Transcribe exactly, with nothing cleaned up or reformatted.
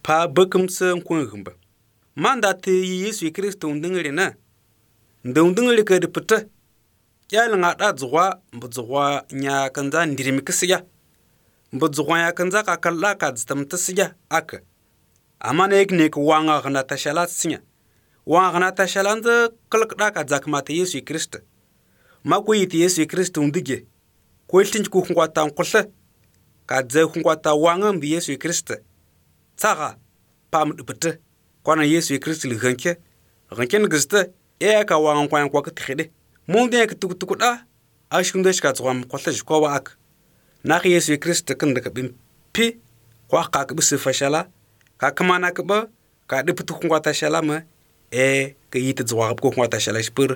pa bekum se nkun gumba manda te Yesu Kristo ndingri na ndungdingri ke de pete yal nga da zwa mbuzwa nya kanza ndirimi kisiya mbuzwa ya kanza ka kala ka ztam tisiya ak amana ekne ko wanga gna tashala sinya wanga gna tashala nda kalkda ka zakmata Yesu Kristo mako yiti Yesu Kristo ndige ko tinj ku ngwata nkulle ka ze ngwata wanga mbi Yesu Kristo tsaga pam dupete kwana Yesu Kristo lganke ganke ngiste e ka wanga kwan kwa kthide monde ke tuk tuk da ashkunde shka tswam kwalle ko wa ak na Yesu Kristo kan daga bin pi kwa ka ka bisu fashala ka kamana ka ba ka duputu ngwata shala ma e ka yiti tswa ko ngwata shala spur